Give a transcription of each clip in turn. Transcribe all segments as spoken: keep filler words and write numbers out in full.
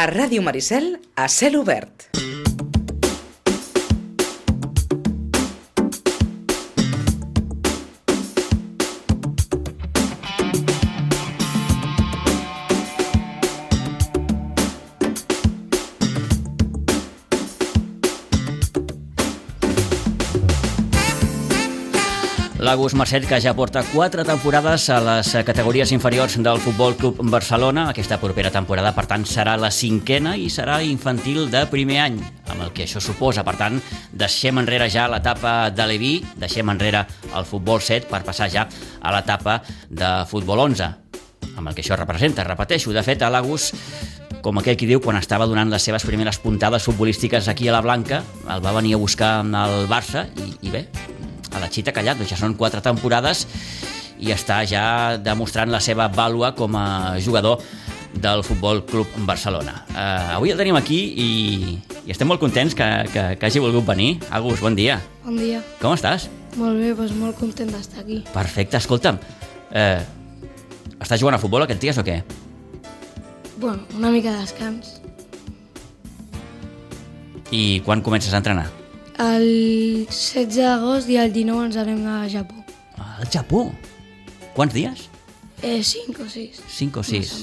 A Ràdio Maricel, a cel obert. L'Agus Marcet, que ja porta quatre temporades a les categories inferiors del Futbol Club Barcelona. Aquesta propera temporada, per tant, serà la cinquena i serà infantil de primer any, amb el que això suposa. Per tant, deixem enrere ja l'etapa de l'E-V I, deixem enrere el Futbol set per passar ja a l'etapa de Futbol onze, amb el que això representa. Repeteixo, de fet, a l'Agus, com aquell qui diu, quan estava donant les seves primeres puntades futbolístiques aquí a la Blanca, el va venir a buscar el Barça i, i bé, a la xita callat, doncs ja són quatre temporades i està ja demostrant la seva vàlua com a jugador del Futbol Club Barcelona. Uh, avui el tenim aquí i, i estem molt contents que, que, que hagi volgut venir. Agus, bon dia. Bon dia. Com estàs? Molt bé, doncs molt content d'estar aquí. Perfecte, escolta'm, uh, estàs jugant a futbol aquests dies o què? Bueno, una mica de descans. I quan comences a entrenar? El setze d'agost i el dinou ens anem a Japó. Al Japó? Quants dies? Eh, cinc o sis. Cinc o sis.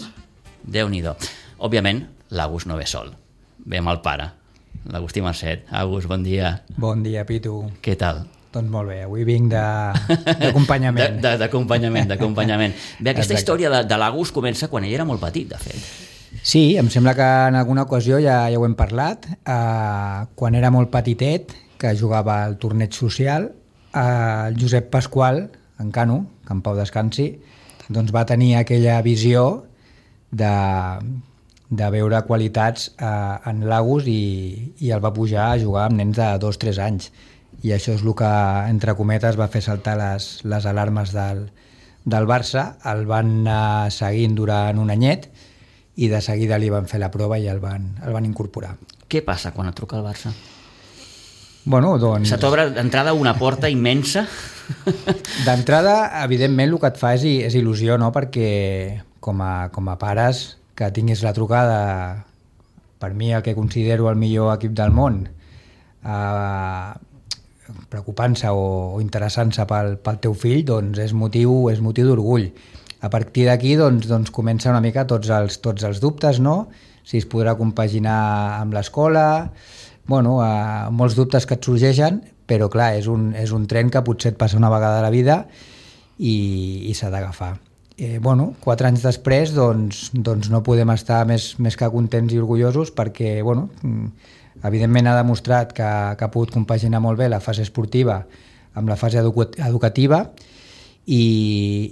Déu-n'hi-do. Òbviament, l'Agus no ve sol. Ve amb el pare, l'Agustí Marcet. Agus, bon dia. Bon dia, Pitu. Què tal? Doncs molt bé, avui vinc d'acompanyament. D'acompanyament, d'acompanyament. Bé, aquesta Exacte. història de, de l'Agus comença quan ell era molt petit, de fet. Sí, em sembla que en alguna ocasió ja, ja ho hem parlat. Uh, quan era molt petitet, que jugava al torneig social, uh, el Josep Pasqual, en Cano, que en pau descansi, doncs va tenir aquella visió de, de veure qualitats uh, en l'Agus i, i el va pujar a jugar amb nens de dos o tres anys. I això és el que, entre cometes, va fer saltar les, les alarmes del, del Barça. El van anar seguint durant un anyet i de seguida li van fer la prova i el van, el van incorporar. Què passa quan et truca el Barça? Bueno, doncs... Se t'obre d'entrada una porta immensa? D'entrada, evidentment, el que et fa és, és il·lusió, no? Perquè com a, com a pares, que tinguis la trucada, per mi el que considero el millor equip del món, eh, preocupant-se o, o interessant-se pel, pel teu fill, doncs és motiu, és motiu d'orgull. A partir d'aquí doncs, doncs comença una mica tots els, tots els dubtes, no? Si es podrà compaginar amb l'escola, bueno, eh, molts dubtes que et sorgeixen, però clar, és un, és un tren que potser et passa una vegada a la vida i, i s'ha d'agafar. Eh, bueno, quatre anys després doncs, doncs no podem estar més, més que contents i orgullosos perquè, bueno, evidentment ha demostrat que, que ha pogut compaginar molt bé la fase esportiva amb la fase educativa. I,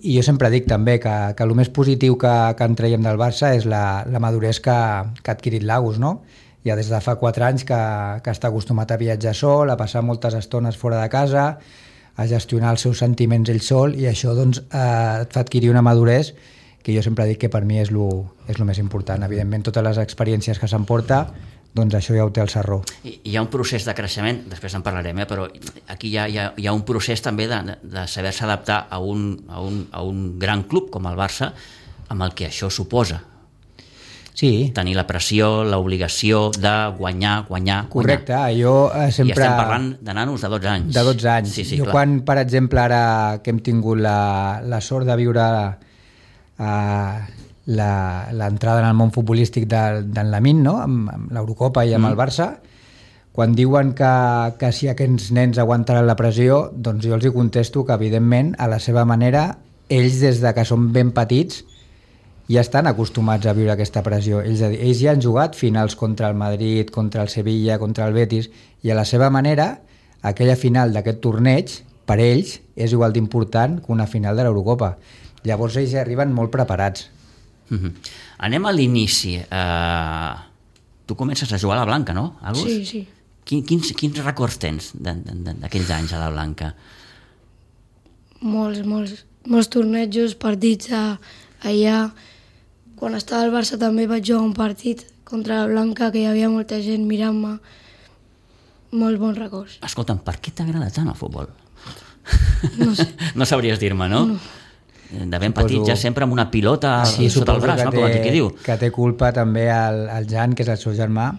i jo sempre dic també que, que el més positiu que, que en traiem del Barça és la, la maduresa que, que ha adquirit l'Agus, no? Ja des de fa quatre anys que, que està acostumat a viatjar sol, a passar moltes estones fora de casa, a gestionar els seus sentiments ell sol, i això doncs, eh, et fa adquirir una maduresa que jo sempre dic que per mi és lo, és lo més important. Evidentment, totes les experiències que s'emporta, doncs això ja ho té el sarró. I, hi ha un procés de creixement, després en parlarem, eh? Però aquí hi ha, hi ha, hi ha un procés també de, de saber-se adaptar a un, a, un, a un gran club com el Barça, amb el que això suposa. Sí. Tenir la pressió, l'obligació de guanyar, guanyar, Correcte, guanyar. jo eh, sempre... I estem parlant de nanos de dotze anys. De dotze anys. Sí, sí, jo clar. Quan, per exemple, ara que hem tingut la, la sort de viure eh, l'entrada en el món futbolístic de, d'en Lamine, no? amb, amb l'Eurocopa i amb mm. el Barça, quan diuen que, que si aquests nens aguantaran la pressió, doncs jo els hi contesto que, evidentment, a la seva manera, ells, des de que són ben petits, ja estan acostumats a viure aquesta pressió. Ells, ells ja han jugat finals contra el Madrid, contra el Sevilla, contra el Betis, i a la seva manera, aquella final d'aquest torneig, per ells, és igual d'important que una final de l'Eurocopa. Llavors ells ja arriben molt preparats. Mm-hmm. Anem a l'inici. Uh, tu comences a jugar a la Blanca, no, Agus? Sí, sí. Quin, quins, quins records tens d'aquells anys a la Blanca? Molts, molts, molts tornejos, partits a, allà. Quan estava al Barça també vaig jugar un partit contra la Blanca, que hi havia molta gent mirant-me. Molts bons records. Escolta'm, per què t'agrada tant el futbol? No sé. No sabries dir-me, no? No. de ben petit, ja sempre amb una pilota sí, sota el braç, no? Com té, qui diu. que té culpa també el, el Jan, que és el seu germà,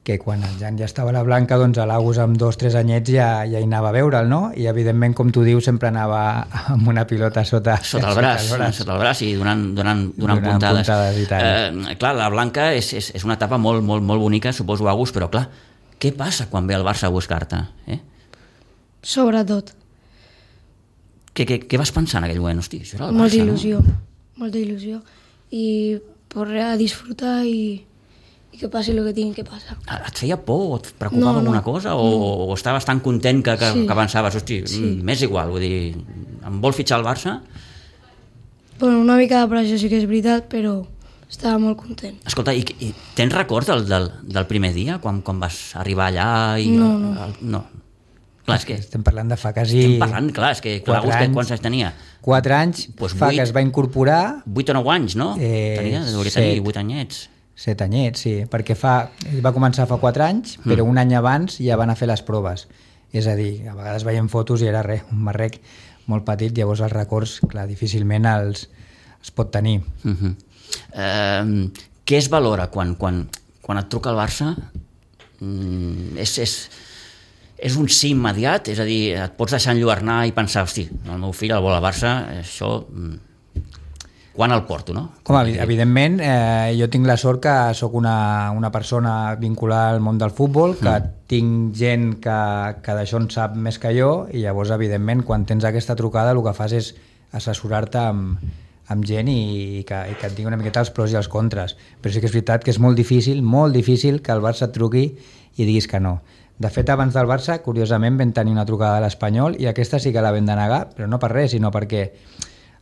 que quan el Jan ja estava a la Blanca, doncs a l'Agus amb dos, tres anyets ja, ja hi anava a veure'l, no? I evidentment, com tu dius, sempre anava amb una pilota sota, sota el braç, sota el braç, sota el braç i donant, donant, donant, donant puntades. puntades i tant. Eh, clar, la Blanca és, és, és una etapa molt, molt, molt bonica, suposo, Agus, però clar, què passa quan ve el Barça a buscar-te? Eh? Sobretot. Què, què, què vas pensar en aquell moment? Hosti, això era el Molta Barça, il·lusió, no? molta il·lusió. I poder a disfrutar i, i que passi el que tingui que passar. Et feia por o et preocupava No, no, alguna cosa? O, no. o estaves tan content que, que, Sí. que pensaves, hosti, Sí. mm, m'és igual, vull dir, em vol fitxar el Barça? Bueno, una mica de pressió sí que és veritat, però estava molt content. Escolta, i, i tens records del, del, del primer dia, quan, quan vas arribar allà? I, No, no. El, no. Clar, és que Estem parlant de fa quasi... estem parlant, clar, és que quatre l'Agus, anys. quants anys tenia? Quatre anys, Pues fa vuit. que es va incorporar, vuit o nou anys, no? Eh, Tenia, hauria set. tenir vuit anyets. set anyets, sí, perquè fa, ell va començar fa quatre anys, però Mm. un any abans ja van a fer les proves. És a dir, a vegades veiem fotos i era res, un marrec molt petit, llavors els records, clar, difícilment els, els pot tenir. Uh -huh. eh, què es valora quan, quan, quan et truca el Barça? Mm, és, és, és un sí immediat? És a dir, et pots deixar enlluernar i pensar, hosti, el meu fill el vol al Barça, això... Mm, quan el porto, no? Home, evi- evidentment, eh, jo tinc la sort que sóc una, una persona vinculada al món del futbol, que mm. tinc gent que, que d'això en sap més que jo, i llavors, evidentment, quan tens aquesta trucada, el que fas és assessorar-te amb, amb gent i, i, que, i que et digui una miqueta els pros i els contres. Però sí que és veritat que és molt difícil, molt difícil que el Barça et truqui i diguis que no. De fet, abans del Barça, curiosament, vam tenir una trucada de l'Espanyol i aquesta sí que la vam denegar, però no per res, sinó perquè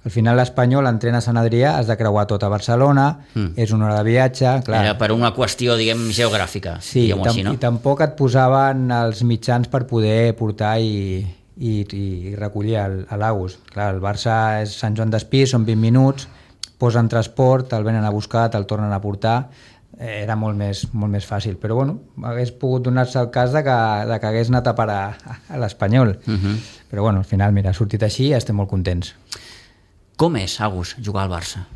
al final l'Espanyol entrena a Sant Adrià, has de creuar tot a Barcelona, mm. és una hora de viatge, clar. Era per una qüestió, diguem, geogràfica, Sí, diguem-ho tam així, no? i tampoc et posaven els mitjans per poder portar i, i, i recollir el- a l'Agus. Clar, el Barça és Sant Joan d'Espí, són vint minuts, posen transport, te'l venen a buscar, te'l tornen a portar, eh, era molt més, molt més fàcil. Però bueno, hagués pogut donar-se el cas de que, de que hagués anat a parar a, a l'Espanyol. Uh -huh. Però bueno, al final, mira, ha sortit així i estem molt contents. Com és, Agus, jugar al Barça?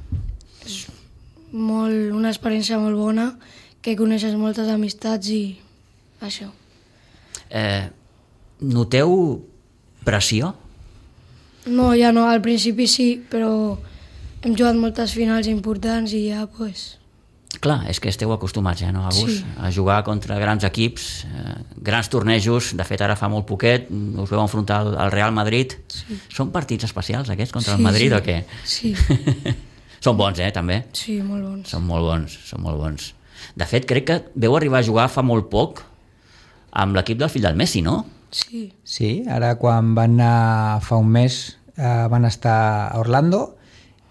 Molt, una experiència molt bona, que coneixes moltes amistats i això. Eh, noteu pressió? No, ja no, al principi sí, però hem jugat moltes finals importants i ja, pues, Clar, és que esteu acostumats, eh, no, Agus? Sí. A jugar contra grans equips, eh, grans tornejos, de fet ara fa molt poquet, us veu enfrontar al, al Real Madrid. Sí. Són partits especials aquests contra Sí, el Madrid sí. o què? Sí. Són bons, eh, també? sí, molt bons. Són molt bons, són molt bons. De fet, crec que veu arribar a jugar fa molt poc amb l'equip del fill del Messi, no? Sí, Sí, ara quan van anar fa un mes eh, van estar a Orlando,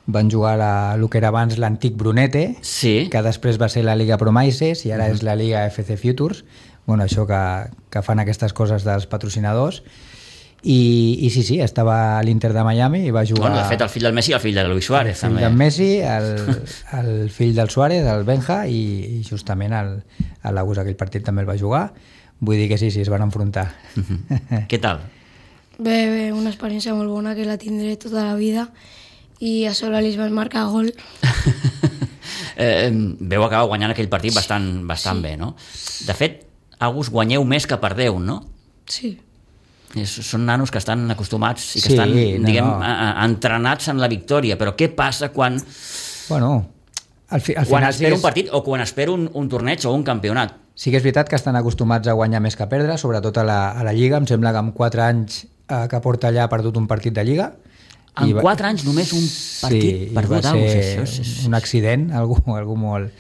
van jugar a el que era abans l'antic Brunete, Sí. que després va ser la Liga Promises i ara uh -huh. és la Liga F C Futures, bueno, això que, que fan aquestes coses dels patrocinadors. I, i sí, sí, estava a l'Inter de Miami i va jugar... Bueno, de fet, el fill del Messi i el fill de Luis Suárez, el fill també. del Messi, el, el fill del Suárez, el Benja, i, i justament el, el Agus aquell partit també el va jugar. Vull dir que sí, sí, es van enfrontar. Què tal? bé, bé, una experiència molt bona que la tindré tota la vida i a sobre li van marcar gol. eh, veu acabar guanyant aquell partit bastant, bastant Sí. bé, no? De fet, Agus, guanyeu més que perdeu, no? Sí, És, són nanos que estan acostumats i que Sí, estan, no, diguem, no. a- a- entrenats en la victòria, però què passa quan, Bueno, al, fi, al quan final sí espero que, un partit o quan espero un, un torneig o un campionat? sí que és veritat que estan acostumats a guanyar més que a perdre, sobretot a la, a la Lliga. Em sembla que amb quatre anys eh, que porta allà ha perdut un partit de Lliga. En I va- quatre anys només un partit sí, i perdut. va Agus, ser això és, és... un accident, algú, algú molt,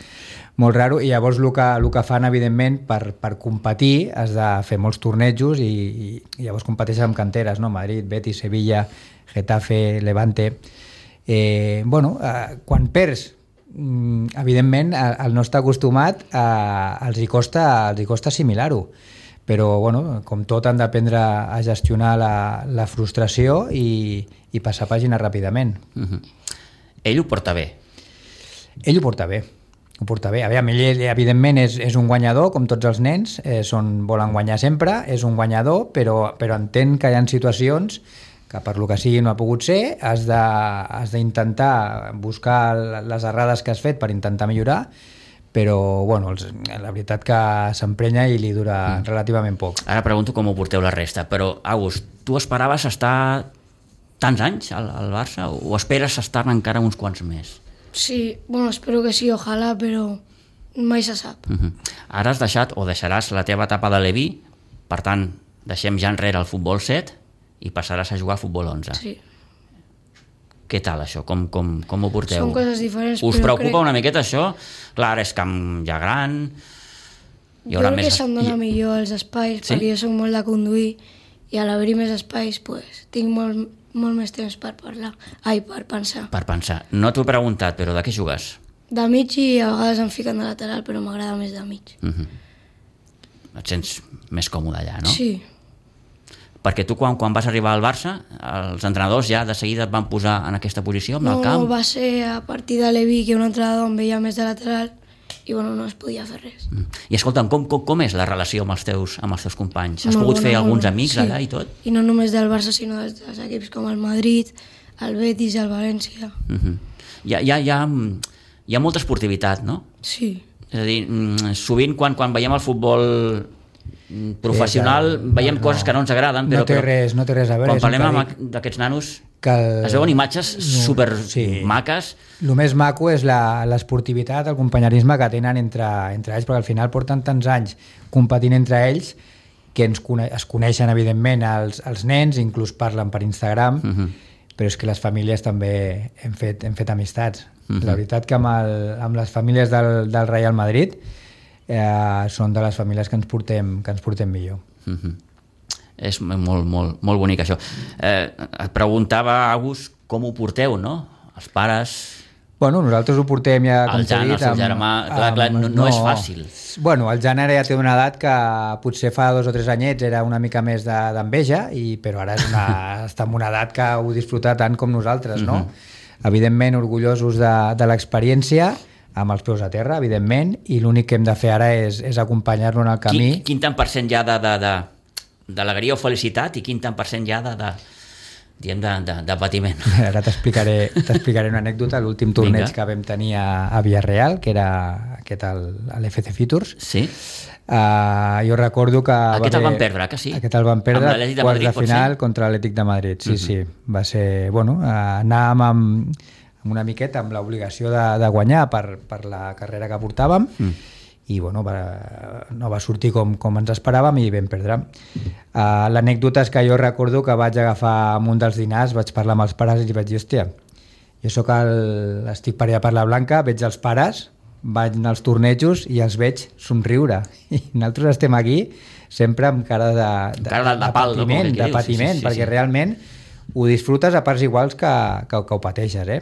molt raro, i llavors el que, el que fan, evidentment, per, per competir has de fer molts tornejos i, i, i llavors competeixen amb canteres, no? Madrid, Betis, Sevilla, Getafe, Levante... Eh, bueno, eh, quan perds, mm, evidentment, el, el no estar acostumat, eh, els, hi costa, els hi costa assimilar-ho. Però, bueno, com tot, han d'aprendre a gestionar la, la frustració i, i passar pàgina ràpidament. Uh -huh. Ell ho porta bé. Ell ho porta bé, ho porta bé. A veure, ell, evidentment, és, és un guanyador, com tots els nens, eh, són, volen guanyar sempre, és un guanyador, però, però entén que hi ha situacions que per lo que sigui no ha pogut ser, has de, has d'intentar buscar les errades que has fet per intentar millorar, però bueno, els, la veritat que s'emprenya i li dura mm. relativament poc. Ara pregunto com ho porteu la resta, però Agus, tu esperaves estar tants anys al, al Barça o esperes estar encara uns quants més? Sí, bueno, espero que sí, ojalà, però mai se sap. Uh-huh. Ara has deixat o deixaràs la teva etapa de Leví, per tant, deixem ja enrere el futbol set i passaràs a jugar a futbol onze. Sí. Què tal això? Com, com, com ho porteu? Són coses diferents, Us però preocupa crec... una miqueta això? Clar, és camp ja gran... Hi haurà jo crec més... que se'm dona I... millor els espais, sí? Perquè jo soc molt de conduir i a l'haver-hi més espais pues, tinc molt, molt més temps per parlar, ai, per pensar. Per pensar. No t'ho he preguntat, però de què jugues? De mig i a vegades em fiquen de lateral, però m'agrada més de mig. Uh-huh. Et sents més còmode allà, no? Sí. Perquè tu quan, quan vas arribar al Barça, els entrenadors ja de seguida et van posar en aquesta posició, amb no, el camp? No, va ser a partir de Leví que un entrenador em veia més de lateral i bueno, no es podia fer res. Mm. I escolta'm, com, com, com és la relació amb els teus, amb els teus companys? Has molt pogut bona, fer alguns bona. amics sí. allà i tot? I no només del Barça, sinó dels, dels equips com el Madrid, el Betis, el València. Mm-hmm. hi, ha, hi, ha, hi, ha, hi ha molta esportivitat, no? Sí. És a dir, sovint quan, quan veiem el futbol professional sí, veiem no, coses que no ens agraden, però, no té res, no té res a veure. Quan parlem amb d'aquests nanos que el... es veuen imatges no, super sí. maques. El més maco és l'esportivitat, el companyerisme que tenen entre, entre ells, perquè al final porten tants anys competint entre ells que ens cone es coneixen evidentment els, els nens, inclús parlen per Instagram, uh-huh. però és que les famílies també hem fet, hem fet amistats. Uh-huh. La veritat que amb, el, amb les famílies del, del Real Madrid eh, són de les famílies que ens portem, que ens portem millor. Uh-huh. És molt, molt, molt bonic això. Eh, et preguntava, Agus, com ho porteu, no? Els pares... Bueno, nosaltres ho portem ja... El Jan, el seu germà... Clar, clar, no, no, no és fàcil. Bueno, el Jan ara ja té una edat que potser fa dos o tres anyets era una mica més d'enveja, de, però ara és una, està en una edat que ho disfruta tant com nosaltres, no? Uh-huh. Evidentment, orgullosos de, de l'experiència, amb els peus a terra, evidentment, i l'únic que hem de fer ara és, és acompanyar-lo en el camí. Quin, quin tant per cent ja de... de, de... d'alegria o felicitat i quin tant per cent ja de, de, diem de, de, de patiment. Ara t'explicaré t'explicaré una anècdota. L'últim torneig Vinga. que vam tenir a, a Villarreal, que era aquest, l'F C Futures, sí. uh, jo recordo que... Aquest el van perdre, que sí? Aquest el van perdre de quarts Madrid, de final contra l'Atlètic de Madrid, sí, uh-huh. sí. Va ser, bueno, uh, anàvem amb, amb una miqueta amb l'obligació de, de guanyar per, per la carrera que portàvem, mm. i bueno, va, no va sortir com, com ens esperàvem i vam perdre. Uh, L'anècdota és que jo recordo que vaig agafar en un dels dinars, vaig parlar amb els pares i vaig dir, hòstia, jo soc el, estic per allà per la Blanca, veig els pares, vaig anar als tornejos i els veig somriure. I nosaltres estem aquí sempre amb cara de, de, cara de, de, de pal, patiment, no? de patiment, sí, sí, sí, perquè sí. realment ho disfrutes a parts iguals que, que, que ho pateixes, eh?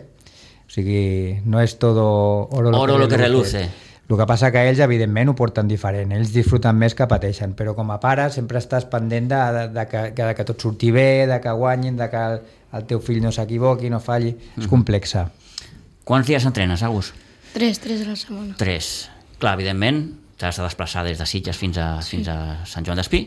O sigui, no és todo oro lo, oro que, que reluce. El que passa que ells, evidentment, ho porten diferent. Ells disfruten més que pateixen, però com a pare sempre estàs pendent de, de, de, que, de que tot surti bé, de que guanyin, de que el, el teu fill no s'equivoqui, no falli. Mm. És complexa. Quants dies entrenes, Agus? Tres, tres a la setmana. Tres. Clar, evidentment, t'has de desplaçar des de Sitges fins a, sí. fins a Sant Joan d'Espí,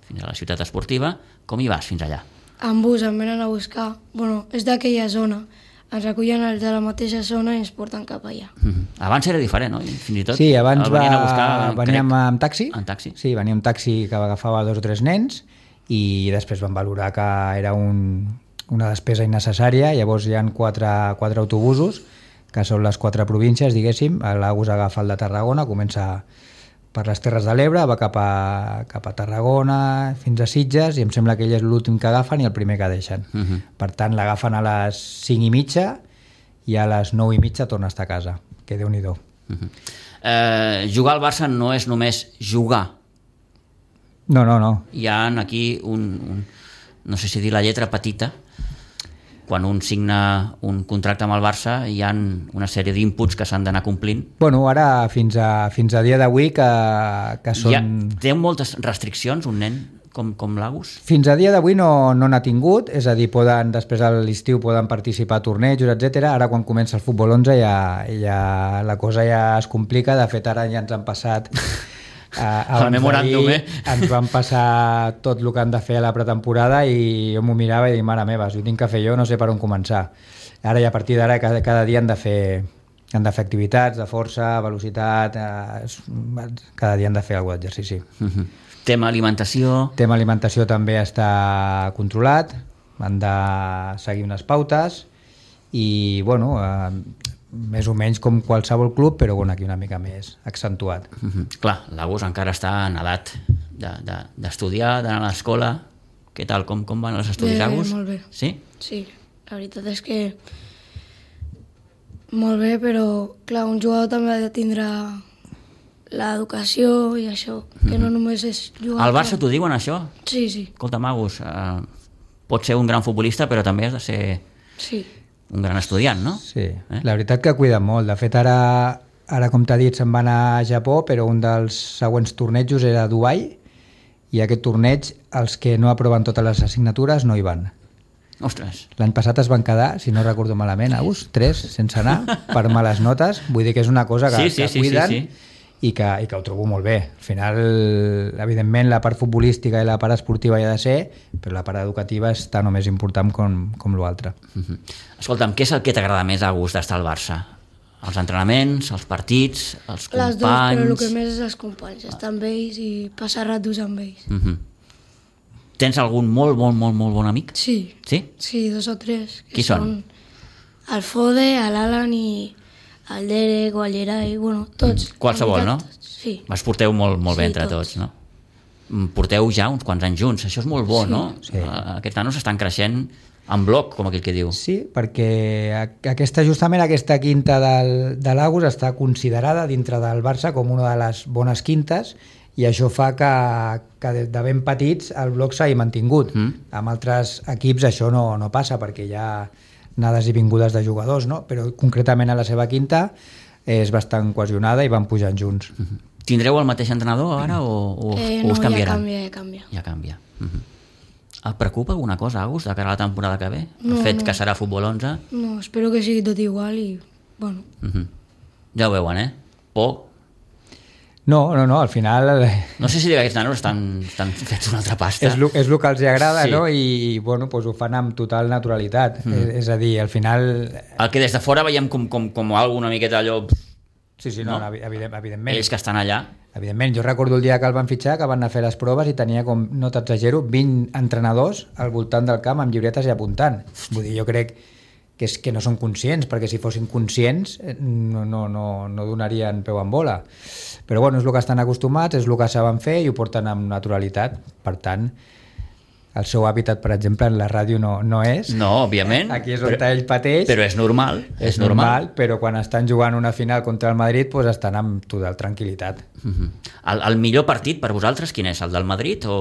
fins a la ciutat esportiva. Com hi vas fins allà? En bus, em venen a buscar. Bueno, és d'aquella zona. Ens recullen els de la mateixa zona i ens porten cap allà. Mm-hmm. Abans era diferent, no? Fins i tot sí, abans va, a buscar, veníem crec, amb taxi. En taxi. Sí, veníem amb taxi que agafava dos o tres nens i després van valorar que era un, una despesa innecessària. Llavors hi ha quatre, quatre autobusos, que són les quatre províncies, diguéssim. L'Agus agafa el de Tarragona, comença per les Terres de l'Ebre, va cap a, cap a Tarragona, fins a Sitges, i em sembla que ell és l'últim que agafen i el primer que deixen. Uh-huh. Per tant, l'agafen a les cinc i mitja i a les nou i mitja torna a estar a casa, que Déu-n'hi-do. Uh-huh. eh, jugar al Barça no és només jugar. No, no, no. Hi ha aquí un, un no sé si dir la lletra petita, quan un signa un contracte amb el Barça hi ha una sèrie d'inputs que s'han d'anar complint. Bueno, ara fins a, fins a dia d'avui que, que són... Ja, té moltes restriccions un nen com, com l'Agus? Fins a dia d'avui no no n'ha tingut, és a dir, poden, després a l'estiu poden participar a tornejos, etcètera. Ara quan comença el futbol onze ja, ja la cosa ja es complica, de fet ara ja ens han passat abans d'ahir ens van passar tot el que han de fer a la pretemporada i jo m'ho mirava i dic, mare meva, si ho tinc que fer jo no sé per on començar. Ara i a partir d'ara cada, cada dia han de fer han de fer activitats de força, velocitat, eh, cada dia han de fer algun exercici. Uh-huh. Tema alimentació... Tema alimentació també està controlat, han de seguir unes pautes i, bueno, eh, més o menys com qualsevol club, però bueno, aquí una mica més accentuat. Uh-huh. Clar, l'Agus encara està en edat d'estudiar, de, de, d'anar a l'escola. Què tal? Com, com van els estudis, bé, Agus? Molt bé. Sí? Sí, la veritat és que molt bé, però clar, un jugador també ha de tindre l'educació i això, que no només és jugar... Al Barça t'ho diuen, això? Sí, sí. Escolta, Agus, eh, pots ser un gran futbolista, però també has de ser sí. un gran estudiant, no? Sí, eh? La veritat que cuiden molt. De fet, ara, ara com t'ha dit, se'n va anar a Japó, però un dels següents tornejos era a Dubai, i aquest torneig, els que no aproven totes les assignatures no hi van. Ostres. L'any passat es van quedar, si no recordo malament, Agus, tres sense anar, per males notes. Vull dir que és una cosa que, sí, sí, que cuiden sí, sí, sí. I, que, i que ho trobo molt bé. Al final, evidentment, la part futbolística i la part esportiva hi ha de ser, però la part educativa és tan o més important com, com l'altre. Uh-huh. Escolta'm, què és el que t'agrada més, Agus, d'estar al Barça? Els entrenaments, els partits, els companys... Les dues, però el que més és els companys, estar amb ells i passar ratos amb ells. Uh-huh. Tens algun molt, molt, molt, molt bon amic? Sí. Sí? Sí, dos o tres. Qui són? El Fode, l'Alan i el Derek o el Gerai, bueno, tots. Mm. Qualsevol, no? Sí. Es porteu molt, molt sí, bé entre tots, tots, no? Porteu ja uns quants anys junts, això és molt bo, sí. no? Sí. Aquests nanos estan creixent en bloc, com aquell que diu. Sí, perquè aquesta, justament aquesta quinta del, de l'Agus està considerada dintre del Barça com una de les bones quintes i això fa que, que de ben petits el bloc s'hagi mantingut. Mm. Amb altres equips això no, no passa perquè hi ha anades i vingudes de jugadors, no? Però concretament a la seva quinta és bastant cohesionada i van pujant junts. Mm-hmm. Tindreu el mateix entrenador ara o, o, eh, o us no, canviaran? Ja canvia, ja canvia. Ja canvia. Mm-hmm. Et preocupa alguna cosa, Agus, de cara a la temporada que ve? No, el fet no. que serà futbol onze? No, espero que sigui tot igual i, bueno... Mm-hmm. Ja ho veuen, eh? Por? No, no, no, al final... No sé si aquests nanos estan, estan fets una altra pasta. És el és que els agrada, sí. No? I bueno, pues ho fan amb total naturalitat. Mm. És, és a dir, al final... El que des de fora veiem com, com, com alguna miqueta allò... Sí, sí, no, no? no evident, evidentment. Ells que estan allà... Evidentment, jo recordo el dia que el van fitxar, que van anar a fer les proves i tenia, com no t'exagero, vint entrenadors al voltant del camp amb llibretes i apuntant. Vull dir, jo crec que és que no són conscients, perquè si fossin conscients no, no, no, no donarien peu en bola. Però bueno, és el que estan acostumats, és el que saben fer i ho porten amb naturalitat. Per tant, el seu hàbitat, per exemple, en la ràdio no, no és. No, òbviament. Aquí és on però, ell pateix. Però és normal. És, és normal, normal, però quan estan jugant una final contra el Madrid pues estan amb total tranquil·litat. Uh-huh. el, el millor partit per vosaltres quin és? El del Madrid o...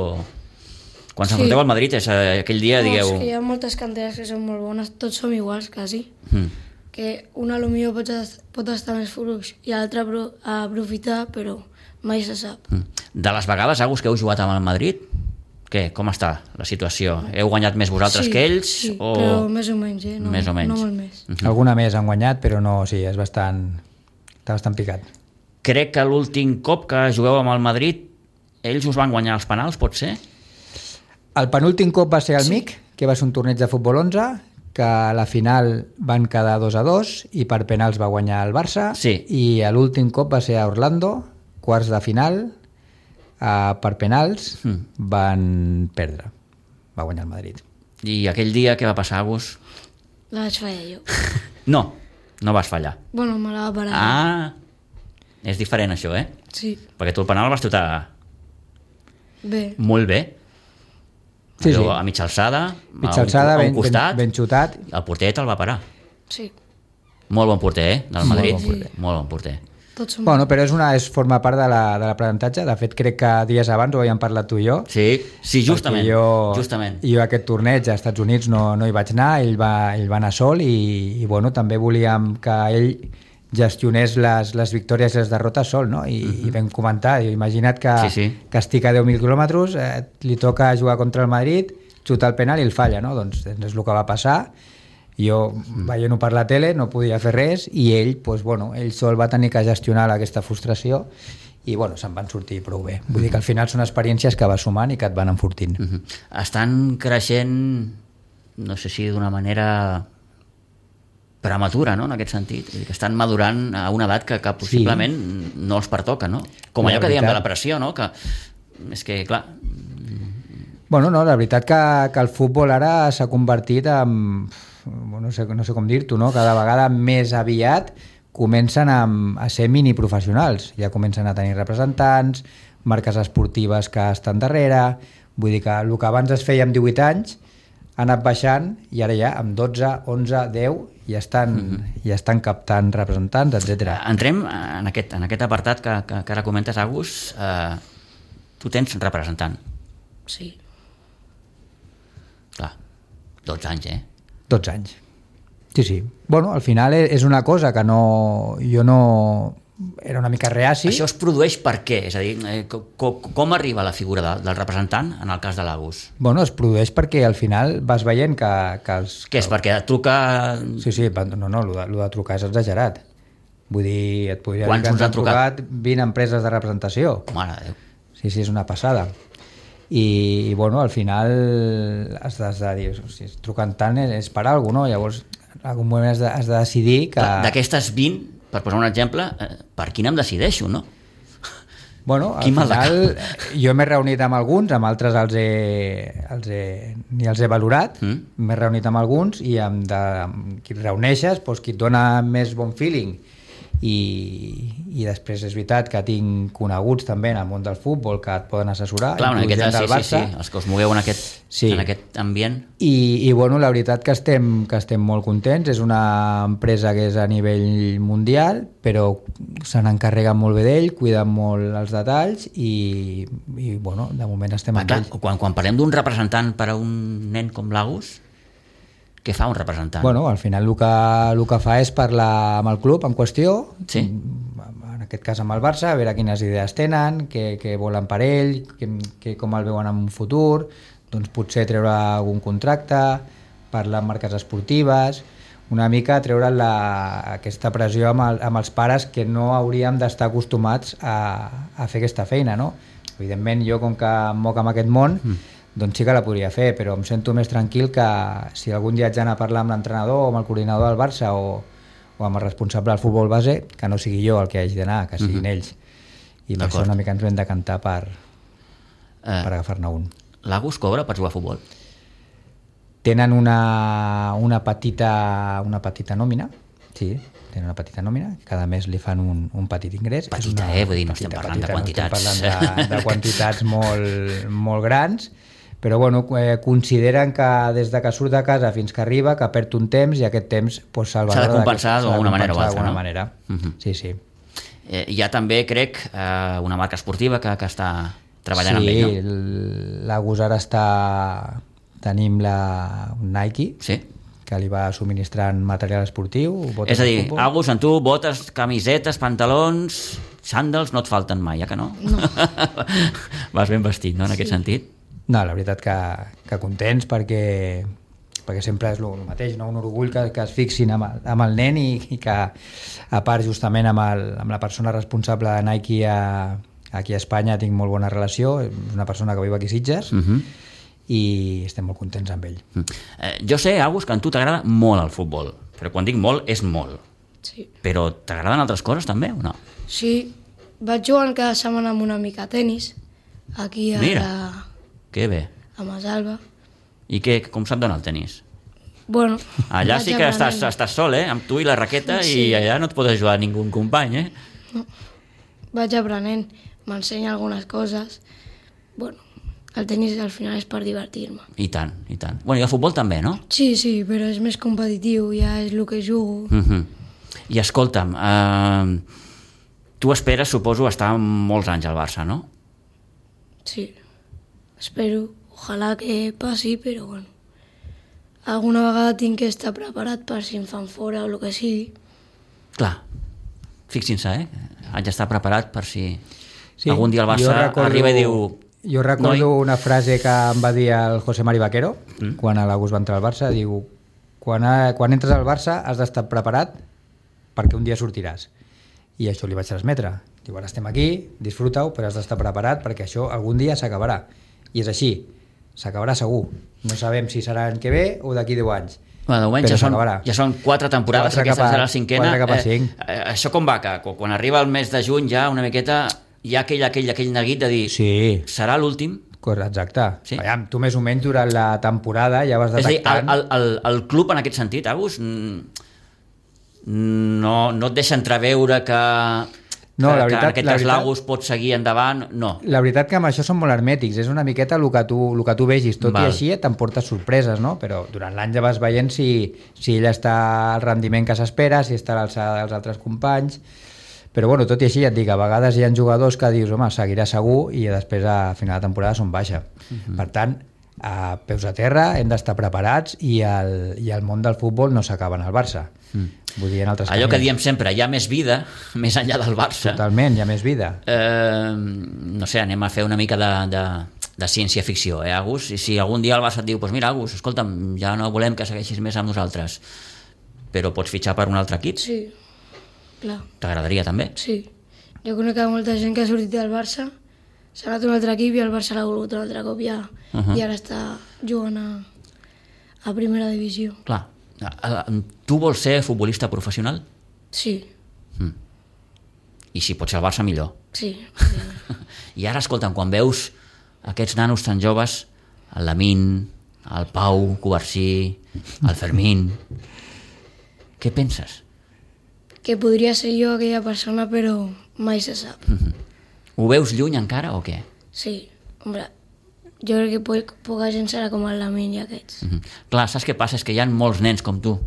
Quan s'enfronteu sí. al Madrid és eh, aquell dia, no, digueu... És que hi ha moltes canteres que són molt bones, tots som iguals, quasi. Mm. Que una potser pot, pot estar més fluix i l'altra a aprofitar, però mai se sap. Mm. De les vegades, Agus, que heu jugat amb el Madrid, què? Com està la situació? Heu guanyat més vosaltres sí, que ells? Sí, o... però més o menys, eh? No, més o menys. No molt més. Mm-hmm. Alguna més han guanyat, però no, sí, és bastant... està bastant picat. Crec que l'últim cop que jugueu amb el Madrid ells us van guanyar els penals, pot ser? El penúltim cop va ser el sí. M I C, que va ser un torneig de futbol onze, que a la final van quedar dos a dos i per penals va guanyar el Barça, sí. I l'últim cop va ser a Orlando, quarts de final, eh, per penals mm. van perdre, va guanyar el Madrid. I aquell dia què va passar, Agus? La vaig fallar jo. No, no vas fallar. Bueno, me la va parar. Ah, és diferent això, eh? Sí. Perquè tu el penal vas xutar bé. molt bé. Sí, allò, sí. a mitja alçada, mitja a alçada un, a ben, un costat, ben, ben xutat. El porter te'l va parar. Sí. Molt bon porter, eh? Del Madrid. Molt bon porter. Sí. Molt bon porter. Tots som... Bueno, però és una, és, forma part de l'aprenentatge. De, de fet, crec que dies abans ho havíem parlat tu i jo. Sí, sí, justament. Jo, justament. jo aquest torneig als Estats Units no, no hi vaig anar, ell va, ell va anar sol i, i bueno, també volíem que ell gestionés les, les victòries i les derrotes sol, no? I, uh-huh. i vam comentar, imagina't que, sí, sí. que estic a deu mil quilòmetres, eh, li toca jugar contra el Madrid, xuta el penal i el falla, no? Doncs és el que va passar. Jo, veient-ho per la tele, no podia fer res i ell, pues, bueno, ell sol va tenir que gestionar aquesta frustració i bueno, se'n van sortir prou bé. Vull dir que al final són experiències que vas sumant i que et van enfortint. Uh-huh. Estan creixent, no sé si d'una manera prematura, no?, en aquest sentit. Vull dir que estan madurant a una edat que, que possiblement sí. no els pertoca, no? Com allò que diem de la pressió, no? Que és que, clar... Bueno, no, la veritat que, que el futbol ara s'ha convertit en... No sé, no sé com dir-t'ho, no? Cada vegada més aviat comencen a, a ser miniprofessionals. Ja comencen a tenir representants, marques esportives que estan darrere... Vull dir que el que abans es feia amb divuit anys ha anat baixant i ara ja amb dotze, onze, deu ja estan, mm-hmm. ja estan captant representants, etcètera. Entrem en aquest, en aquest apartat que, que, que ara comentes, Agus. Eh, tu tens representant. Sí. Clar, dotze anys, eh? dotze anys. Sí, sí. Bueno, al final és una cosa que no... Jo no... Era una mica reaci. Això es produeix per què? És a dir, eh, com, com arriba la figura de, del representant en el cas de l'Agus? Bueno, es produeix perquè al final vas veient que... que els, Què és? Perquè et truca... Sí, sí, no, no, el de, el de trucar és exagerat. Vull dir, et podria Quants dir que ens han trucat? trucat vint empreses de representació. Mare de Déu. Sí, sí, és una passada. I, i bueno, al final has de, has de dir, si es truquen tant és per alguna cosa, no? Llavors, en algun moment has de, has de decidir que... D'aquestes vint, per posar un exemple, per quin em decideixo, no? Bueno, al final jo m'he reunit amb alguns, amb altres els he, els he, ni els he valorat, mm. m'he reunit amb alguns i amb, de, amb qui et reuneixes, doncs, qui et dona més bon feeling i, i després és veritat que tinc coneguts també en el món del futbol que et poden assessorar. Clar, una miqueta, sí, sí, sí, els que us mogueu en aquest, sí. en aquest ambient. I, i bueno, la veritat que estem, que estem molt contents, és una empresa que és a nivell mundial, però se n'encarreguen molt bé d'ell, cuiden molt els detalls i, i bueno, de moment estem amb ells. Quan, quan parlem d'un representant per a un nen com l'Agus, què fa un representant? Bueno, al final el que, el que fa és parlar amb el club en qüestió, sí. en aquest cas amb el Barça, a veure quines idees tenen, què, què volen per ell, què, què, com el veuen en un futur, doncs potser treure algun contracte, parlar amb marques esportives, una mica treure la, aquesta pressió amb, el, amb els pares que no hauríem d'estar acostumats a, a fer aquesta feina, no? Evidentment, jo com que em moc amb aquest món, mm. doncs sí que la podria fer, però em sento més tranquil que si algun dia haig d'anar a parlar amb l'entrenador o amb el coordinador del Barça o, o amb el responsable del futbol base, que no sigui jo el que hagi d'anar, que siguin uh-huh. ells. I per això una mica ens hem de cantar per, uh, per agafar-ne un. L'Agus cobra per jugar a futbol? Tenen una, una, petita, una petita nòmina, sí, tenen una petita nòmina, cada mes li fan un, un petit ingrés. Petita, eh? Vull dir, no estem parlant petita, de quantitats. No estem parlant de, de quantitats molt, molt grans, però bueno, eh, consideren que des de que surt de casa fins que arriba, que perd un temps i aquest temps pues, s'ha de compensar d'alguna manera o altra, no? Manera. Uh-huh. Sí, sí. Eh, hi ha també, crec, eh, una marca esportiva que, que està treballant sí, amb ell, no? Sí, l'Agus ara està... Tenim la Nike, sí. que li va subministrant material esportiu. És a dir, Agus, en tu, botes, camisetes, pantalons, sàndals, no et falten mai, ja que no? No. Vas ben vestit, no, en sí. aquest sentit? No, la veritat que, que contents perquè, perquè sempre és el mateix, no? Un orgull que, que es fixin amb el, amb el nen i, i que a part justament amb, el, amb la persona responsable de Nike a, aquí a Espanya tinc molt bona relació, és una persona que viu aquí a Sitges uh-huh. i estem molt contents amb ell. Uh-huh. Eh, jo sé, Agus, que a tu t'agrada molt el futbol, però quan dic molt és molt. Sí. Però t'agraden altres coses també o no? Sí, vaig jugant cada setmana amb una mica a tenis, aquí a Mira. la... Que bé. A Masalba. I què, com se't dona el tenis? Bueno, allà sí que estàs, estàs sol, eh? Amb tu i la raqueta sí. i allà no et pot ajudar ningú company, eh? No. Vaig aprenent, m'ensenya algunes coses. Bueno, el tenis al final és per divertir-me. I tant, i tant. Bueno, i el futbol també, no? Sí, sí, però és més competitiu, ja és el que jugo. Uh-huh. I escolta'm, eh, tu esperes, suposo, estar molts anys al Barça, no? Sí. Espero, ojalà que passi, però bueno, alguna vegada tinc que estar preparat per si em fan fora o el que sigui. Clar, fixin-se, eh? Haig d'estar preparat per si sí, algun dia el Barça recordo, arriba i diu... Jo recordo noi? una frase que em va dir el José Mari Vaquero, mm. quan l'Agus va entrar al Barça, diu, quan, a, quan entres al Barça has d'estar preparat perquè un dia sortiràs. I això li vaig transmetre. Diu, ara estem aquí, disfruta-ho, però has d'estar preparat perquè això algun dia s'acabarà. I és així, s'acabarà segur. No sabem si serà l'any que ve o d'aquí deu anys. Bueno, de moment ja són, ja són quatre temporades, quatre aquesta cap a, serà la cinquena. quatre cap a cinc. Eh, eh, això com va, que quan arriba el mes de juny ja una miqueta hi ha aquell, aquell, aquell neguit de dir sí. serà l'últim? Exacte. Sí. Veiem, tu més o menys durant la temporada ja vas detectant... És a dir, el, el, el club en aquest sentit, Agus, no, no et deixa entreveure que... No, que, la veritat, que en la aquest veritat, Lagos pot seguir endavant, no. La veritat que amb això són molt hermètics, és una miqueta el que tu, el que tu vegis, tot Val. I així t'emportes sorpreses, no? Però durant l'any ja vas veient si, si ell està al rendiment que s'espera, si està a l'alçada dels altres companys, però bueno, tot i així ja et dic, a vegades hi ha jugadors que dius, home, seguirà segur, i després a final de temporada són baixa. Uh-huh. Per tant, a peus a terra hem d'estar preparats i el, i el món del futbol no s'acaba en el Barça. Mm. Vull dir, en altres allò camins. Que diem sempre, hi ha més vida més enllà del Barça. Totalment, hi ha més vida. Eh, no sé, anem a fer una mica de, de, de ciència-ficció, eh, Agus? I si algun dia el Barça et diu, pues mira, Agus, escolta'm, ja no volem que segueixis més amb nosaltres, però pots fitxar per un altre equip? Sí, clar. T'agradaria també? Sí. Jo conec molta gent que ha sortit del Barça, s'ha anat a un altre equip i el Barça l'ha volgut un altre cop ja, uh -huh. i ara està jugant a, a primera divisió. Clar. Tu vols ser futbolista professional? Sí. Mm. I si pot ser el Barça, millor. Sí. sí. I ara, escolta'm, quan veus aquests nanos tan joves, el Lamin, el Pau Covarsí, el Fermín, què penses? Que podria ser jo aquella persona, però mai se sap. Mm-hmm. Ho veus lluny encara o què? Sí, hombre, jo crec que poc, poca gent serà com el Lamin i aquests. Mm-hmm. Clar, saps què passa? És que hi ha molts nens com tu,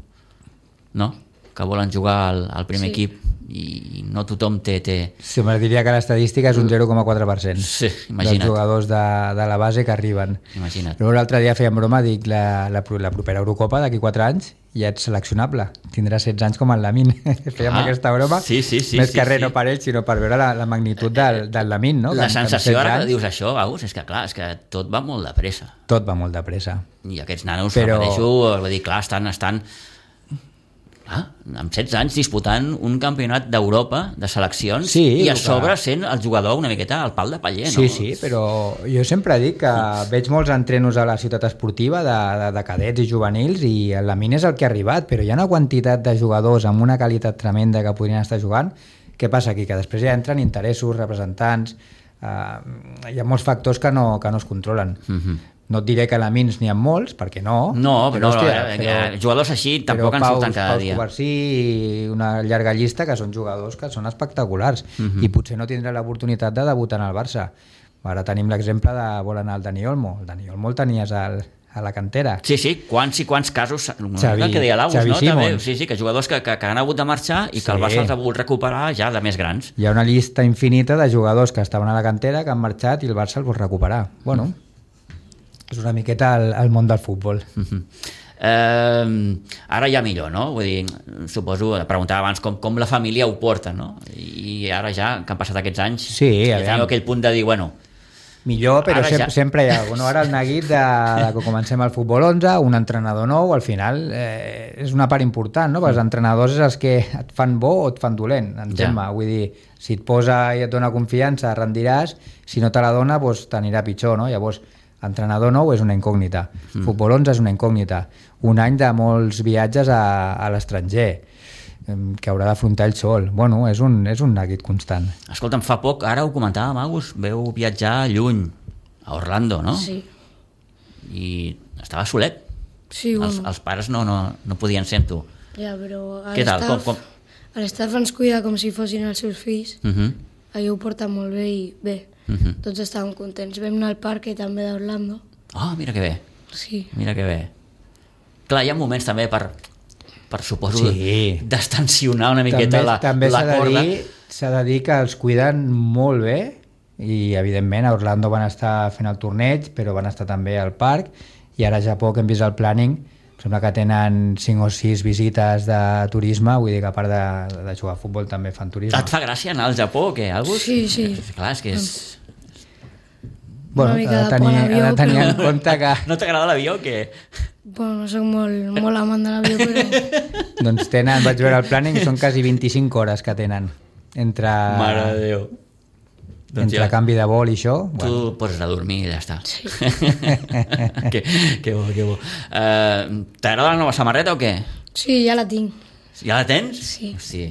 no?, que volen jugar al, al primer sí. equip i no tothom té... té... Sí, me diria que l'estadística és un zero coma quatre per cent sí, imagina't. Dels jugadors de, de la base que arriben. Imagina't. Però l'altre dia fèiem broma, dic, la, la, la propera Eurocopa d'aquí quatre anys ja ets seleccionable, tindràs setze anys com el Lamin. Fèiem ah, aquesta broma, sí, sí, sí, més sí, que res sí. no per ell, sinó per veure la, la magnitud del, del Lamin, no? La que, sensació que ara que dius això, Agus, és que clar, és que tot va molt de pressa. Tot va molt de pressa. I aquests nanos, Però... repeteixo, vull dir, clar, estan... estan Ah, amb setze anys disputant un campionat d'Europa de seleccions sí, i a sobre que... sent el jugador una miqueta al pal de paller, no? Sí, sí, però jo sempre dic que veig molts entrenos a la ciutat esportiva de, de, de cadets i juvenils i el Lamin és el que ha arribat, però hi ha una quantitat de jugadors amb una qualitat tremenda que podrien estar jugant. Què passa aquí? Que després ja entren interessos, representants, eh, hi ha molts factors que no, que no es controlen. Mm-hmm. No et diré que a Lamins n'hi ha molts, perquè no. No, però, hòstia, no, però jugadors així tampoc en surten cada Pau dia. Pau Covarsí i una llarga llista que són jugadors que són espectaculars uh-huh. i potser no tindrà l'oportunitat de debutar en el Barça. Ara tenim l'exemple de vol anar al Dani Olmo. El Dani Olmo el tenies al, a la cantera. Sí, sí, quants i quants casos, Xavi, el que deia l'Aus, Xavi no? Simons. També, sí, sí, que jugadors que, que, que han hagut de marxar i que sí. el Barça els ha volgut recuperar ja de més grans. Hi ha una llista infinita de jugadors que estaven a la cantera, que han marxat i el Barça els vol recuperar. Bueno, mm. és una miqueta el, el món del futbol. Mm-hmm. Eh, ara ja millor, no? Vull dir, suposo, preguntava abans com, com la família ho porta, no? I ara ja, que han passat aquests anys, sí, ja teniu aquell punt de dir, bueno... Millor, però sem ja... sempre hi ha alguna. Ara el neguit de, de que comencem el futbol onze, un entrenador nou, al final eh, és una part important, no? Perquè els entrenadors és els que et fan bo o et fan dolent, entén-me. Ja. Vull dir, si et posa i et dona confiança, rendiràs, si no te la dona, doncs t'anirà pitjor, no? Llavors, entrenador nou és una incògnita, mm. futbol onze és una incògnita, un any de molts viatges a, a l'estranger, que haurà d'afrontar ell sol. Bueno, és un, és un neguit constant. Escolta'm, fa poc, ara ho comentàvem, Agus, veu viatjar lluny, a Orlando, no? Sí. I estava solet. Sí, bueno. Els, els pares no, no, no podien ser amb tu. Ja, però Què tal? Com, com... l'estaf ens cuida com si fossin els seus fills. Uh -huh. Allò ho porta molt bé i bé. Uh -huh. Tots estàvem contents. Vam anar al parc també d'Orlando. Ah, oh, mira que bé. Sí. Mira que bé. Clar, hi ha moments també per... per suposo sí. d'estensionar una miqueta també, la, també la corda. S'ha de dir que els cuiden molt bé i evidentment a Orlando van estar fent el torneig, però van estar també al parc i ara ja poc hem vist el planning, sembla que tenen cinc o sis visites de turisme, vull dir que a part de, de jugar a futbol també fan turisme. Et fa gràcia anar al Japó o què, Agus? Sí, sí. Clar, és que és... Bueno, ha de tenir, avió, ha de tenir però... en compte que... No t'agrada l'avió o què? Bueno, no soc molt, molt amant de l'avió, però... Doncs tenen, vaig veure el planning, són quasi vint-i-cinc hores que tenen entre... Mare de Déu. Doncs entre ja, canvi de vol i això... tu Bueno, poses a dormir i ja està. Sí. que, que bo, que bo. Uh, T'agrada la nova samarreta o què? Sí, ja la tinc. Ja la tens? Sí. Hosti,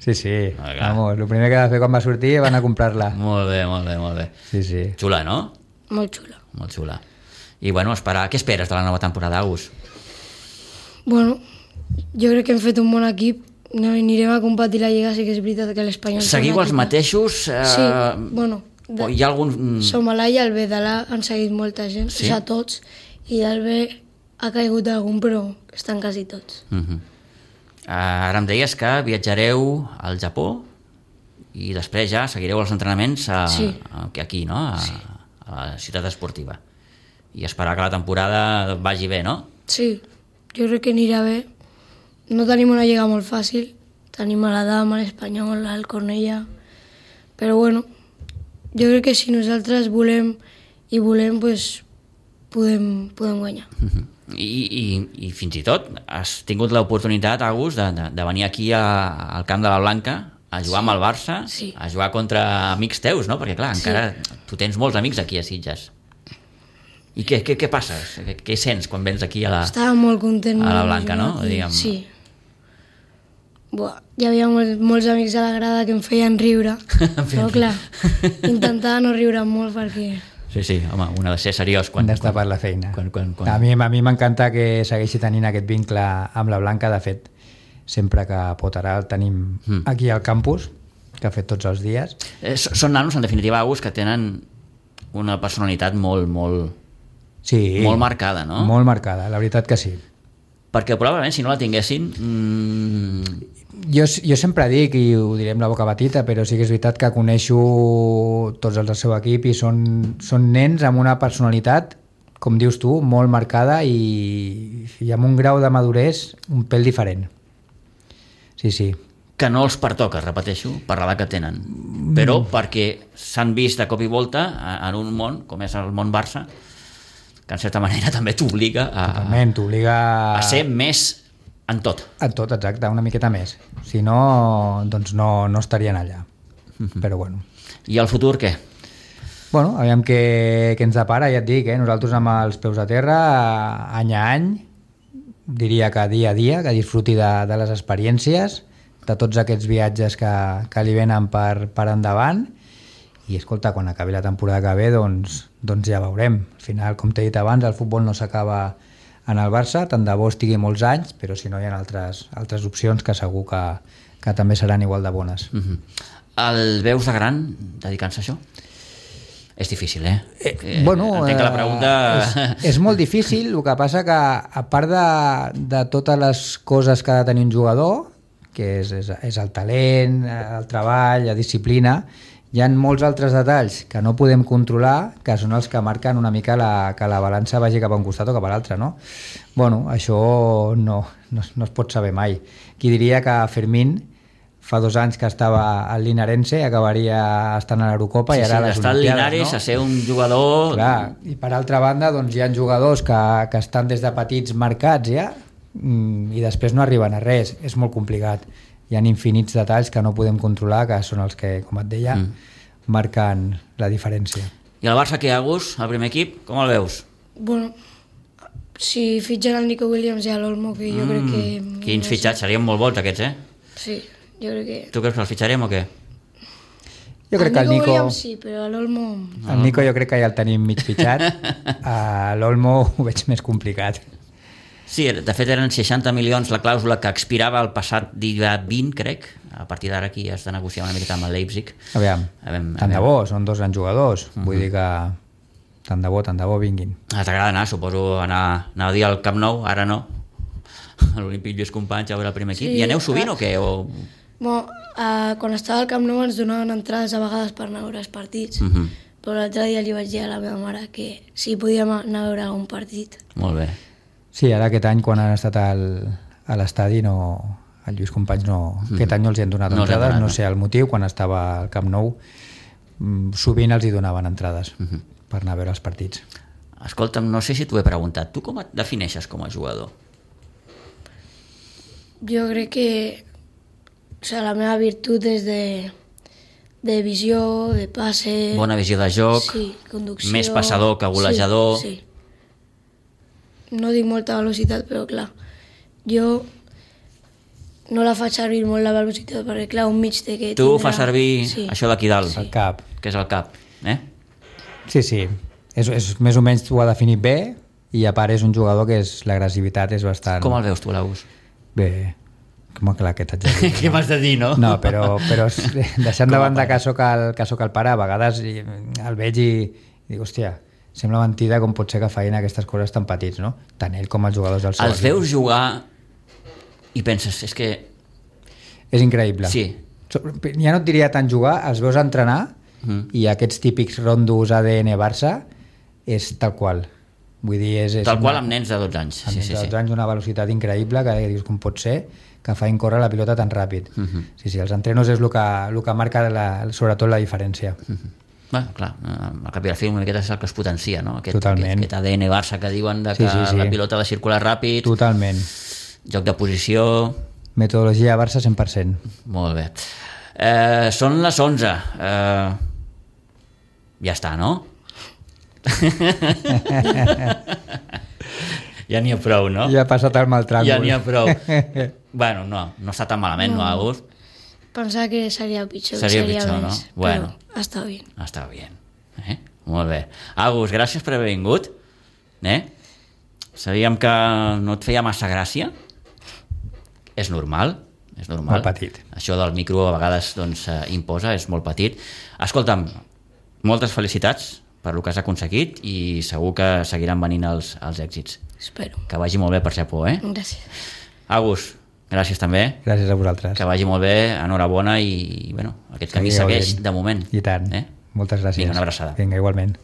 sí, sí. Ah, clar. Vamos, el primer que va fer quan va sortir va anar a comprar-la. molt bé, molt bé, molt bé. Sí, sí. Xula, no? Molt xula. Molt xula. I bueno, esperar. Què esperes de la nova temporada, Agus? Bueno, jo crec que hem fet un bon equip. No, anirem a competir la Lliga, sí que és veritat que l'Espanyol... Seguiu els mateixos? Eh, Sí, bueno, de- o hi ha algun... Som a l'A i al B de l'A han seguit molta gent, Sí? sí? O sigui, tots, i del B ha caigut algun, però estan quasi tots. Uh -huh. uh, ara em deies que viatjareu al Japó i després ja seguireu els entrenaments a, Sí. a, aquí, no? A, sí. a la ciutat esportiva. I esperar que la temporada vagi bé, no? Sí, jo crec que anirà bé. No tenim una lliga molt fàcil, tenim a la Dama, l'Espanyol, el Cornellà, però bueno, jo crec que si nosaltres volem i volem, pues, podem, podem guanyar. Uh -huh. I, i, I fins i tot has tingut l'oportunitat, Agus, de, de, de venir aquí a, al camp de la Blanca a jugar sí. amb el Barça, Sí. a jugar contra amics teus, no? Perquè clar, Sí. encara tu tens molts amics aquí a Sitges. I què, què, què passa? Què, què sents quan vens aquí a la... Estava molt content. a la de Blanca, jugar no? aquí. Diguem. Sí. Buah, hi havia molt, molts amics a la grada que em feien riure, però clar, intentava no riure molt perquè... Sí, sí, home, un ha de ser seriós quan... Quan, d'estar quan, per la feina. quan, quan, quan... A mi a mi m'encanta que segueixi tenint aquest vincle amb la Blanca. De fet, sempre que pot ara el tenim Mm. aquí al campus, que ha fet tots els dies. Eh, so- són nanos, en definitiva, Agus, que tenen una personalitat molt, molt, Sí, molt marcada, no? Molt marcada, la veritat que sí. Perquè probablement, si no la tinguessin... Mmm... Jo, jo sempre dic, i ho diré amb la boca petita, però sí que és veritat que coneixo tots els del seu equip i són, són nens amb una personalitat, com dius tu, molt marcada i, i amb un grau de maduresa un pèl diferent. Sí, sí. que no els pertoca, repeteixo, per l'edat que tenen, però perquè s'han vist de cop i volta en un món, com és el món Barça, que en certa manera també t'obliga a, Totalment, t'obliga a ser més en tot. en tot, exacte, una miqueta més. Si no, doncs no, no estarien allà. Però bueno. I el futur què? Bueno, aviam què, què ens depara, ja et dic, eh? Nosaltres amb els peus a terra, any a any, diria que dia a dia, que disfruti de, de les experiències, de tots aquests viatges que, que li venen per, per endavant, i escolta, quan acabi la temporada que ve, doncs, doncs ja veurem. Al final, com t'he dit abans, el futbol no s'acaba en el Barça, tant de bo estigui molts anys, però si no hi ha altres, altres opcions que segur que, que també seran igual de bones. Uh-huh. El veus de gran dedicant-se a això? És difícil, eh? Eh, eh bueno, entenc que la pregunta... és, és molt difícil, el que passa que a part de, de totes les coses que ha de tenir un jugador, que és, és, és el talent, el treball, la disciplina, hi ha molts altres detalls que no podem controlar, que són els que marquen una mica la, que la balança vagi cap a un costat o cap a l'altre, no? Bueno, això no, no, no es pot saber mai. Qui diria que Fermín fa dos anys que estava al Linarense, acabaria estant a l'Eurocopa Sí, i ara sí, a les d'estar al Olimpiades, Linares no? a ser un jugador... Clar, i per altra banda doncs, hi ha jugadors que, que estan des de petits marcats ja mm, i després no arriben a res, és molt complicat. Hi ha infinits detalls que no podem controlar, que són els que, com et deia, mm. marquen la diferència. I el Barça, què, Agus, el primer equip, com el veus? Bueno, si fitxen el Nico Williams i l'Olmo, que jo mm, crec que... Quins fitxats, serien molt bons aquests, eh? Sí, jo crec que... Tu creus que els fitxarem o què? Jo crec que el Nico... Williams sí, però l'Olmo... El Nico jo crec que ja el tenim mig fitxat. A l'Olmo ho veig més complicat. Sí, de fet eren seixanta milions la clàusula que expirava el passat dia vint, crec. A partir d'ara aquí has de negociar una miqueta amb el Leipzig. Aviam, Aviam, tant de aviam. bo, són dos grans jugadors. Uh -huh. Vull dir que tant de bo, tant de bo vinguin. Ah, t'agrada anar, suposo, anar, anar a dir al Camp Nou, ara no. A l'Olímpic Lluís Companys a veure el primer equip. Sí, I aneu sovint ah. o què? O... Bueno, uh, quan estava al Camp Nou ens donaven entrades a vegades per anar a veure els partits, Uh -huh. però l'altre dia li vaig dir a la meva mare que si podíem anar a veure algun partit. Molt bé. Sí, ara aquest any quan han estat al, a l'estadi no... El Lluís Companys no... Mm. Aquest any no els hi han donat No els han entrades, donat, no no. sé el motiu, quan estava al Camp Nou mm, sovint els hi donaven entrades Uh -huh. per anar a veure els partits. Escolta'm, no sé si t'ho he preguntat. Tu com et defineixes com a jugador? Jo crec que o sigui, la meva virtut és de de visió, de passe... Bona visió de joc, sí, conducció... més passador que golejador... Sí, sí. No dic molta velocitat, però clar, jo no la faig servir molt la velocitat, perquè clar, un mig té que Tu tindrà... fas servir sí. això d'aquí dalt, El cap. que és el cap, eh? Sí, sí. És, és, més o menys tu ho ha definit bé i a part és un jugador que és l'agressivitat és bastant... Com el veus tu, l'Agus? Bé, com que la que t'haig de dir. Què m'has de dir, no? No, però, però deixant de banda que soc, el, que soc el pare, a vegades el veig i, i dic, hòstia, sembla mentida com pot ser que feien aquestes coses tan petits, no? Tant ell com els jugadors del seu Els equip. veus jugar i penses, és que... És increïble. Sí. Ja no et diria tant jugar, els veus entrenar mm. i aquests típics rondos A D N Barça és tal qual. Vull dir, és, és Tal qual una, amb nens de dotze anys. amb Sí, nens sí, de sí. dotze anys una velocitat increïble que dius com pot ser que feien córrer la pilota tan ràpid. Uh -huh. Sí, sí, els entrenos és el que, el que marca la, sobretot la diferència. Uh -huh. Bueno, clar, al cap i a la fi una miqueta és el que es potencia, no? Aquest, Totalment. aquest, aquest A D N Barça que diuen de que Sí, sí, sí. la pilota ha de circular ràpid, Totalment. joc de posició... Metodologia Barça cent per cent. Molt bé. Eh, són les onze. Eh, ja està, no? Ja n'hi ha prou, no? Ja ha passat el mal tràngol. Ja n'hi ha prou. Bueno, no, no està tan malament, no, No. Agus? Pensava que seria pitjor, Seria seria, pitjor, més, no? Bueno. però està bé. Està bé. Eh? Molt bé. Agus, gràcies per haver vingut. Eh? Sabíem que no et feia massa gràcia. És normal. És normal. Molt petit. Això del micro a vegades doncs, eh, imposa, és molt petit. Escolta'm, moltes felicitats per el que has aconseguit i segur que seguiran venint els, els èxits. Espero. Que vagi molt bé per ser por, eh? Gràcies. Agus, gràcies també. Gràcies a vosaltres. Que vagi molt bé, enhorabona i, bueno, aquest camí Seguiu segueix gent. de moment. I tant. Eh? Moltes gràcies. Vinga, una abraçada. Vinga, igualment.